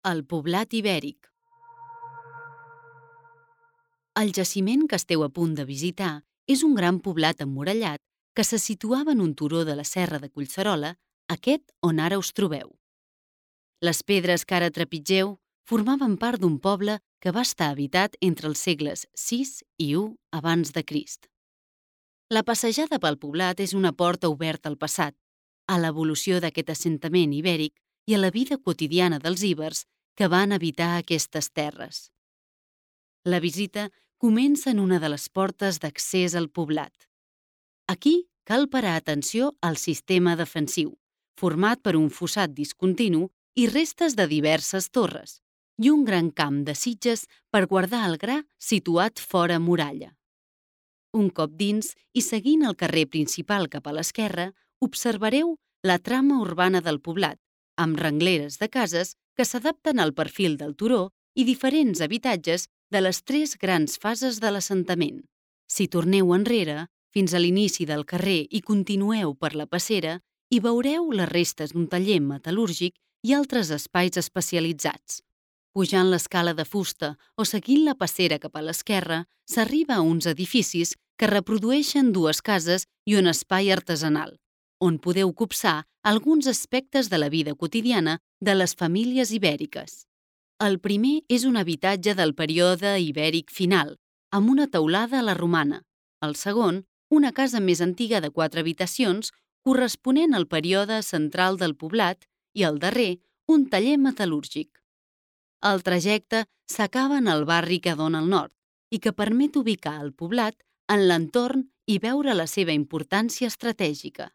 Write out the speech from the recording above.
El poblat ibèric. El jaciment que esteu a punt de visitar és un gran poblat emmurallat que se situava en un turó de la serra de Collserola, aquest on ara us trobeu. Les pedres que ara trepitgeu formaven part d'un poble que va estar habitat entre els segles VI i I abans de Crist. La passejada pel poblat és una porta oberta al passat, a l'evolució d'aquest assentament ibèric i a la vida quotidiana dels íbers que van habitar aquestes terres. La visita comença en una de les portes d'accés al poblat. Aquí cal parar atenció al sistema defensiu, format per un fossat discontinu i restes de diverses torres, i un gran camp de sitges per guardar el gra situat fora muralla. Un cop dins i seguint el carrer principal cap a l'esquerra, observareu la trama urbana del poblat, amb rengleres de cases que s'adapten al perfil del turó i diferents habitatges de les 3 grans fases de l'assentament. Si torneu enrere, fins a l'inici del carrer i continueu per la passera, hi veureu les restes d'un taller metal·lúrgic i altres espais especialitzats. Pujant l'escala de fusta o seguint la passera cap a l'esquerra, s'arriba a uns edificis que reprodueixen 2 cases i un espai artesanal, on podeu copsar alguns aspectes de la vida quotidiana de les famílies ibèriques. El primer és un habitatge del període ibèric final, amb una teulada a la romana. El segon, una casa més antiga de 4 habitacions, corresponent al període central del poblat, i el darrer, un taller metal·lúrgic. El trajecte s'acaba en el barri que dona al nord i que permet ubicar el poblat en l'entorn i veure la seva importància estratègica.